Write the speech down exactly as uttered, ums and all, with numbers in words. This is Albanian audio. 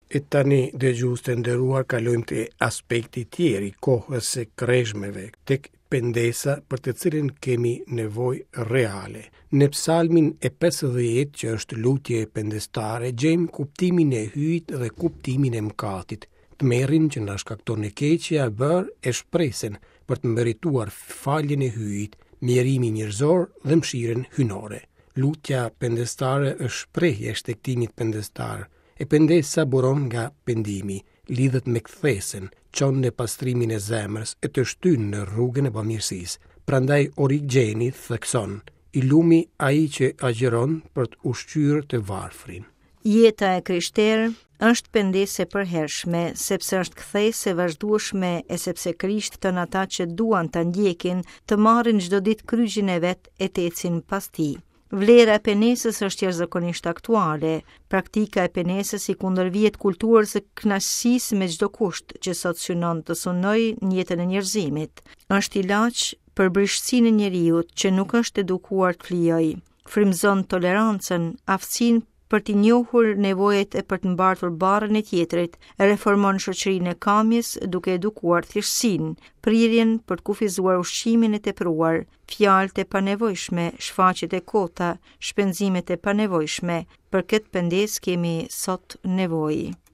E tani, dëgjues të nderuar, kalojmë te aspekti tjetër i kohës së kreshmeve, tek pendesa për të cilën kemi nevojë reale. Në psalmin e pesëdhjetë, që është lutje pendestare, gjejmë kuptimin e Hyjit dhe kuptimin e mëkatit, tmerrin që na shkakton e keqja e bërë e shpresën për të merituar faljen e Hyjit, mjerimin njerëzor dhe mëshirën hyjnore. Lutja pendestare është shprehje e shtegtimit pendestar. E pendesa buron nga pendimi, lidhet me kthesën, çon në pastrimin e zemrës e të shtyn në rrugën e bamirësisë. Prandaj Origjeni thekson: i lumi ai që agjëron për të ushqyer të varfrin. Jeta e krishterë është pendesë e përhershme, sepse është kthesë e vazhdueshme e sepse Krishti fton ata që duan ta ndjekin, të marrin çdo ditë kryqin e vet e të ecin pas tij. Vlera e pendesës është jashtëzakonisht aktuale. Praktika e pendesës i kundërvihet kulturës së kënaqësisë me çdo kusht që sot synon të sunojë në jetën e njerëzimit. Është ilaç për brishtësinë e njeriut që nuk është edukuar të flijojë. Frymëzon tolerancën, aftësinë për t'i njohur nevojat e për të mbartur barrën e tjetrit, reformon shoqërinë e kamjes duke edukuar thjeshtësinë, prirjen për të kufizuar ushqimin e tepruar, fjalët e panevojshme, shfaqjet e kota, shpenzimet e panevojshme. Për këtë pendesë kemi sot nevojë.